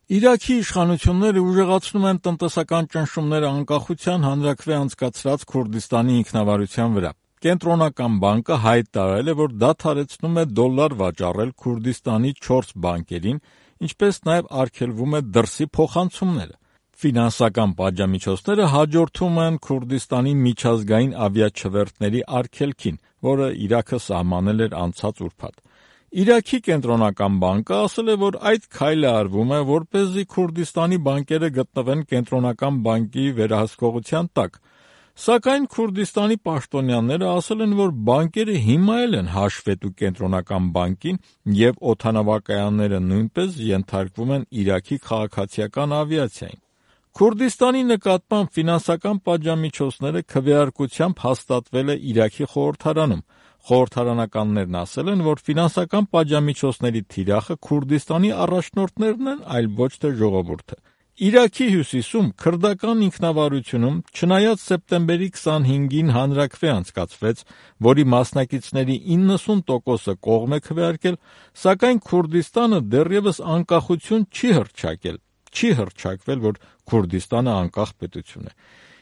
Իրաքի իշխանությունները ուժեղացնում են տնտեսական ճնշումները անկախության հանրաքվե անցկացրած Քուրդիստանի ինքնավարության վրա։ Կենտրոնական բանկը հայտ տարել է, որ դադարեցնում է դոլար վաճառել Քուրդիստանի 4 բանկերին, ինչպես նաև արգելվում է դրսի փոխանցումները։ Ֆինանսական պատժամիջոցները հաջորդում են Քուրդիստանի միջազգային ավիաչվերթների արգելքին, որը Իրաքը սահմանել էր անցած ուրբաթ։ Իրաքի կենտրոնական բանկը ասել է, որ այդ քայլը արվում է, որպեսզի Քուրդիստանի բանկերը գտնվեն կենտրոնական բանկի վերահսկողության տակ։ Սակայն Քուրդիստանի պաշտոնյաները ասել են, որ բանկերը հիմա էլ են հաշվետու կենտրոնական բանկին և օդանավակայանները նույնպես ենթարկվում են Իրաքի քաղաքացիական ավիացիային։ Քուրդիստանի նկատմամբ ֆինանսական պատժամիջոցները քվեարկությամբ հաստատվել է Իրաքի խորհրդարանում։ Խորհրդարանականներն ասել են, որ ֆինանսական պատժամիջոցների թիրախը Քուրդիստանի առաջնորդներն են, այլ ոչ թե ժողովուրդը։ Իրաքի հյուսիսում քրդական ինքնավարությունում, չնայած սեպտեմբերի 25-ին հանրաքվե անցկացվեց, որի մասնակիցների 90%-ը կողմ է քվեարկել, սակայն Քուրդիստանը դեռևս անկախություն չի հռչակվել, որ Քուրդիստանը անկախ պետություն է։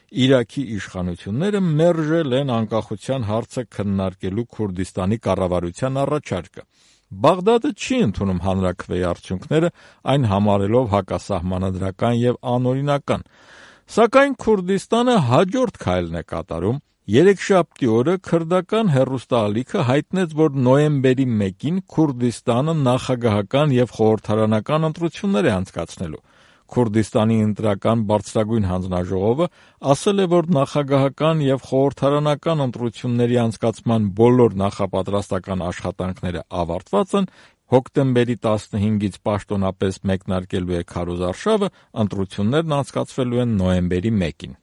Իրաքի իշխանությունները մերժել են անկախության հարցը քննարկելու Քուրդիստանի կառավարության առաջարկը։ Բաղդադը չի ընդունում հանրաքվեի արդյունքները, այն համարելով հակասահմանադրական և անօրինական։ Սակայն Քուրդիստանը հաջորդ քայլն է կատարում։ Երեքշաբթի օրը քրդական հեռուստաալիքը հայտնեց, որ նոյեմբերի 1-ին Քուրդիստանը նախագահական և խորհրդարանական ընտրություններ է անցկացնելու։ Քուրդիստանի ընտրական բարձրագույն հանձնաժողովը ասել է, որ նախագահական և խորհրդարանական ընտրությունների անցկացման բոլոր նախապատրաստական աշխատանքները ավարտված են, հոկտեմբերի 15-ից պաշտոնապես մեկնարկելու է քարոզարշավը, ընտրություններն անցկացվելու են նոյեմբերի 1-ին։